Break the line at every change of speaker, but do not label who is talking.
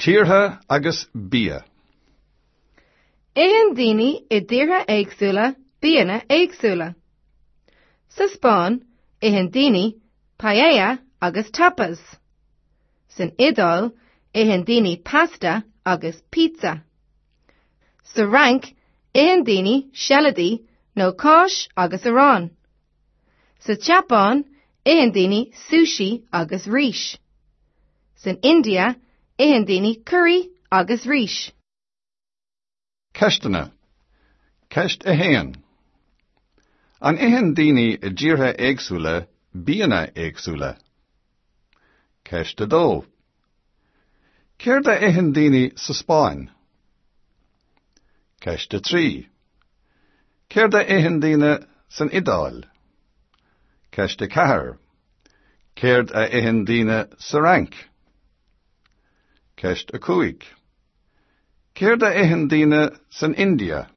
Tíortha agus bia.
Itheann daoine i dtíortha éagsúla bianna éagsúla. Sa Spáinn, itheann daoine paella agus tapas. San Iodáil, itheann daoine pasta agus pizza. Sa Fhrainc, itheann daoine seilidí nó cáis agus arán. Sa tSeapáin, itheann daoine sushi agus rís. San India, itheann daoine curaí agus rís.
Ceisteanna. Ceist 1. An itheann daoine i dtíortha éagsúla bianna éagsúla? Ceist 2. Céard a itheann daoine sa Spáinn? Ceist 3. Céard a itheann daoine san Iodáil? Ceist 4. Céard a itheann daoine sa Fhrainc? Ceist 5. Céard a itheann daoine san India?